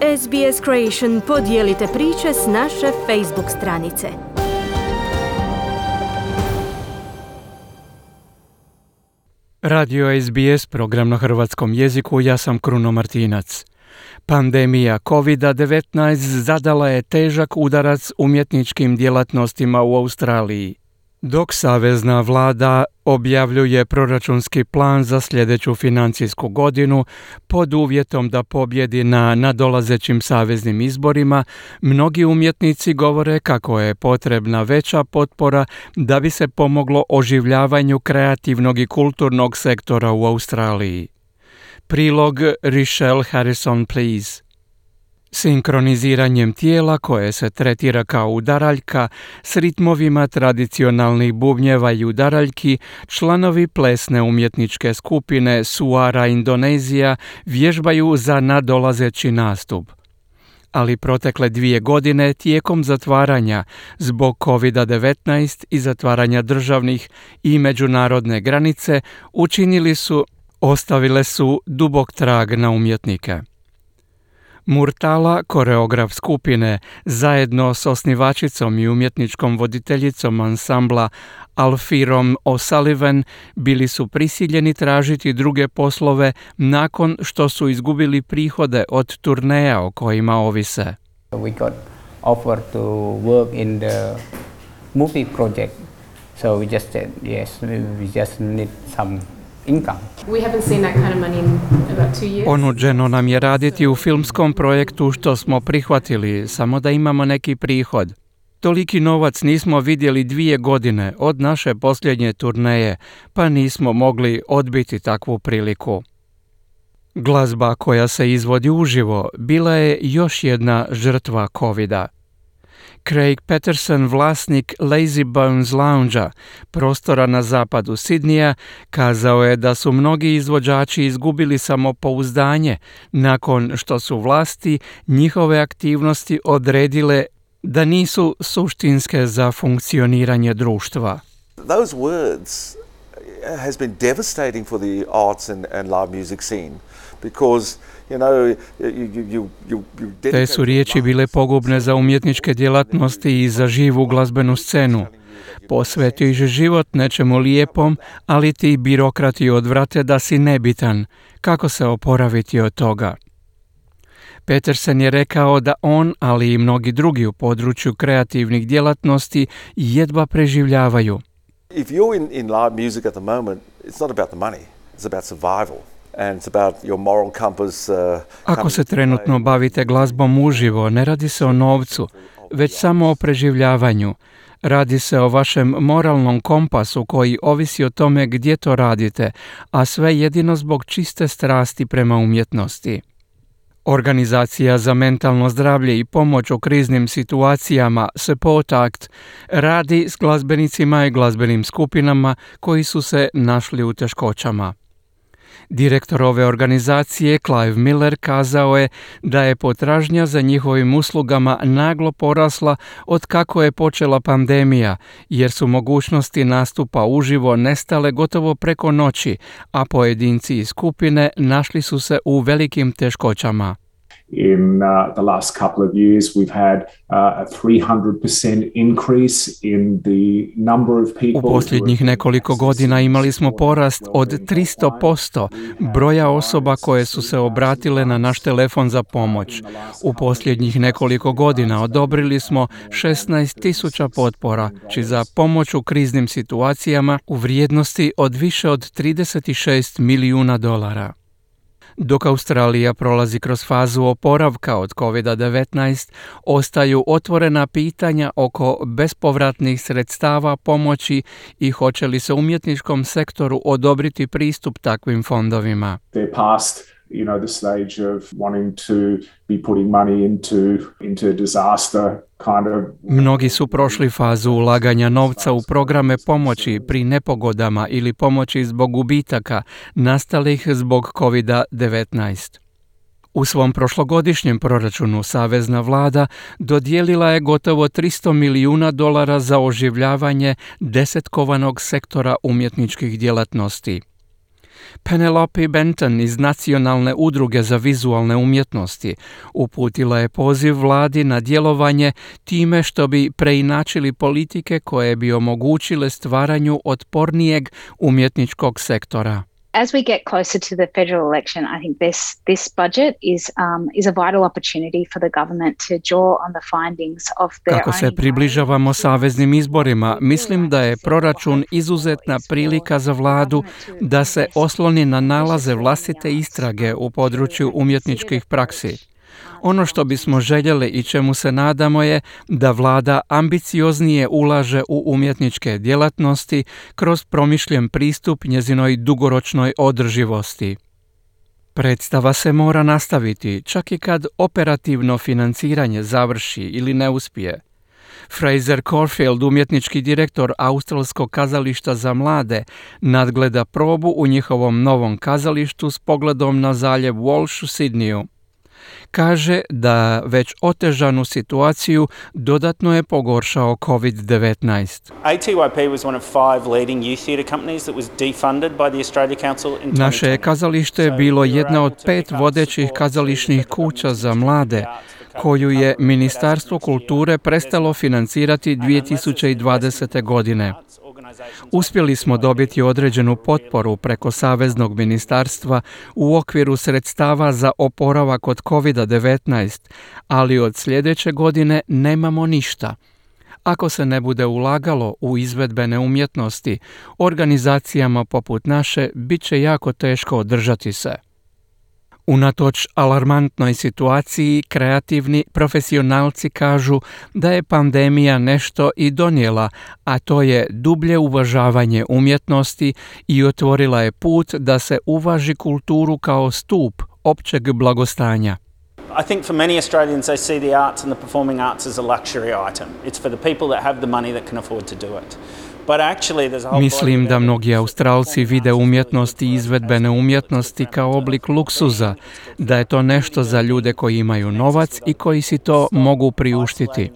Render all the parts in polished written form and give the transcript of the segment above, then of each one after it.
SBS Creation podijelite priče s naše Facebook stranice. Radio SBS, program na hrvatskom jeziku, ja sam Kruno Martinac. Pandemija COVID-19 zadala je težak udarac umjetničkim djelatnostima u Australiji. Dok savezna vlada objavljuje proračunski plan za sljedeću financijsku godinu pod uvjetom da pobjedi na nadolazećim saveznim izborima, mnogi umjetnici govore kako je potrebna veća potpora da bi se pomoglo oživljavanju kreativnog i kulturnog sektora u Australiji. Prilog Richelle Harrison, please. Sinkroniziranjem tijela koje se tretira kao udaraljka s ritmovima tradicionalnih bubnjeva i udaraljki, članovi plesne umjetničke skupine Suara Indonezija vježbaju za nadolazeći nastup. Ali protekle 2 godine tijekom zatvaranja zbog COVID-19 i zatvaranja državnih i međunarodne granice ostavile su dubok trag na umjetnike. Murtala, koreograf skupine, zajedno s osnivačicom i umjetničkom voditeljicom ansambla Alfirom O'Sullivan, bili su prisiljeni tražiti druge poslove nakon što su izgubili prihode od turneja o kojima ovise. We got offered to work in the movie project, so we just said yes, we just need some income. We haven't seen that kind of money in about 2 years. Ponuđeno nam je raditi u filmskom projektu što smo prihvatili, samo da imamo neki prihod. Toliki novac nismo vidjeli 2 godine od naše posljednje turneje, pa nismo mogli odbiti takvu priliku. Glazba koja se izvodi uživo bila je još jedna žrtva covida. Craig Patterson, vlasnik Lazy Bones Loungea, prostora na zapadu Sidneya, kazao je da su mnogi izvođači izgubili samopouzdanje nakon što su vlasti njihove aktivnosti odredile da nisu suštinske za funkcioniranje društva. Those words has been devastating for the arts and live music scene because Te su riječi bile pogubne za umjetničke djelatnosti i za živu glazbenu scenu. Posvetiš život nečemu lijepom, ali ti birokrati odvrate da si nebitan. Kako se oporaviti od toga? Peterson je rekao da on, ali i mnogi drugi u području kreativnih djelatnosti jedva preživljavaju. If you're in live music at the moment, it's not about the money, it's about survival. Ako se trenutno bavite glazbom uživo, ne radi se o novcu, već samo o preživljavanju. Radi se o vašem moralnom kompasu koji ovisi o tome gdje to radite, a sve jedino zbog čiste strasti prema umjetnosti. Organizacija za mentalno zdravlje i pomoć u kriznim situacijama Support Act radi s glazbenicima i glazbenim skupinama koji su se našli u teškoćama. Direktor ove organizacije, Clive Miller, kazao je da je potražnja za njihovim uslugama naglo porasla od kako je počela pandemija, jer su mogućnosti nastupa uživo nestale gotovo preko noći, a pojedinci iz skupine našli su se u velikim teškoćama. In the last couple of years, we've had a 300% increase in the number of people. U posljednjih nekoliko godina imali smo porast od 300% broja osoba koje su se obratile na naš telefon za pomoć. U posljednjih nekoliko godina odobrili smo 16,000 potpora za pomoć u kriznim situacijama u vrijednosti od više od $36 milijuna. Dok Australija prolazi kroz fazu oporavka od COVID-19, ostaju otvorena pitanja oko bespovratnih sredstava pomoći i hoće li se umjetničkom sektoru odobriti pristup takvim fondovima. The stage of wanting to be putting money into disaster kind of. Mnogi su prošli fazu ulaganja novca u programe pomoći pri nepogodama ili pomoći zbog gubitaka nastalih zbog COVID-19. U svom prošlogodišnjem proračunu savezna vlada dodijelila je gotovo $300 milijuna za oživljavanje desetkovanog sektora umjetničkih djelatnosti. Penelope Benton iz Nacionalne udruge za vizualne umjetnosti uputila je poziv vladi na djelovanje time što bi preinačili politike koje bi omogućile stvaranju otpornijeg umjetničkog sektora. As we get closer to the federal election, I think this budget is a vital opportunity for the government to draw on the findings of their Kako se približavamo saveznim izborima, mislim da je proračun izuzetna prilika za vladu da se osloni na nalaze vlastite istrage u području umjetničkih praksi. Ono što bismo željeli i čemu se nadamo je da vlada ambicioznije ulaže u umjetničke djelatnosti kroz promišljen pristup njezinoj dugoročnoj održivosti. Predstava se mora nastaviti čak i kad operativno financiranje završi ili ne uspije. Fraser Corfield, umjetnički direktor Australskog kazališta za mlade, nadgleda probu u njihovom novom kazalištu s pogledom na zaljev Walsh u Sidneyu. Kaže da već otežanu situaciju dodatno je pogoršao COVID-19. ATYP was one of 5 leading youth theatre companies that was defunded by the Australia Council in 2020. Naše kazalište je bilo jedna od 5 vodećih kazališnih kuća za mlade, koju je Ministarstvo kulture prestalo financirati 2020. godine. Uspjeli smo dobiti određenu potporu preko Saveznog ministarstva u okviru sredstava za oporavak od COVID-19, ali od sljedeće godine nemamo ništa. Ako se ne bude ulagalo u izvedbene umjetnosti, organizacijama poput naše bit će jako teško održati se. Unatoč alarmantnoj situaciji, kreativni profesionalci kažu da je pandemija nešto i donijela, a to je dublje uvažavanje umjetnosti i otvorila je put da se uvaži kulturu kao stup općeg blagostanja. I think for many Australians they see the arts and the performing arts as a luxury item. It's for the people that have the money that can afford to do it. Mislim da mnogi Australci vide umjetnost i izvedbene umjetnosti kao oblik luksuza, da je to nešto za ljude koji imaju novac i koji si to mogu priuštiti.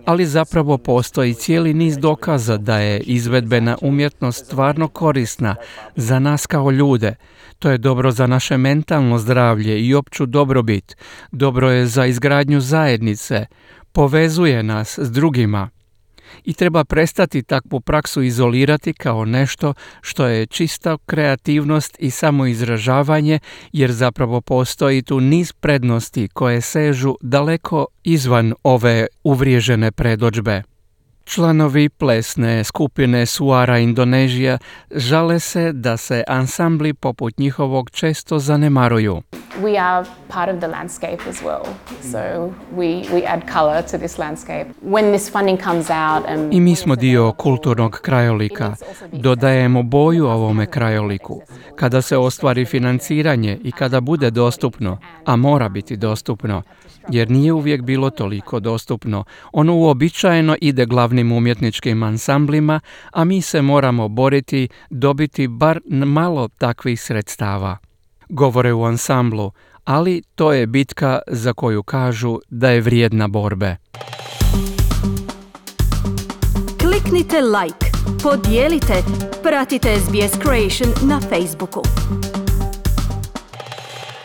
Ali zapravo postoji cijeli niz dokaza da je izvedbena umjetnost stvarno korisna za nas kao ljude. To je dobro za naše mentalno zdravlje i opću dobrobit. Dobro je za izgradnju zajednice. Povezuje nas s drugima. I treba prestati takvu praksu izolirati kao nešto što je čista kreativnost i samoizražavanje, jer zapravo postoji tu niz prednosti koje sežu daleko izvan ove uvriježene predodžbe. Članovi plesne skupine Suara Indonezija žale se da se ansambli poput njihovog često zanemaruju. We are part of the landscape as well, so we add color to this landscape. When this funding comes out, I mi smo dio kulturnog krajolika. Dodajemo boju ovome krajoliku. Kada se ostvari financiranje i kada bude dostupno, a mora biti dostupno, jer nije uvijek bilo toliko dostupno, ono uobičajeno ide glavnim umjetničkim ansamblima, a mi se moramo boriti dobiti bar malo takvih sredstava. Govore u ansamblu, ali to je bitka za koju kažu da je vrijedna borbe. Kliknite like, podijelite, pratite SBS Creation na Facebooku.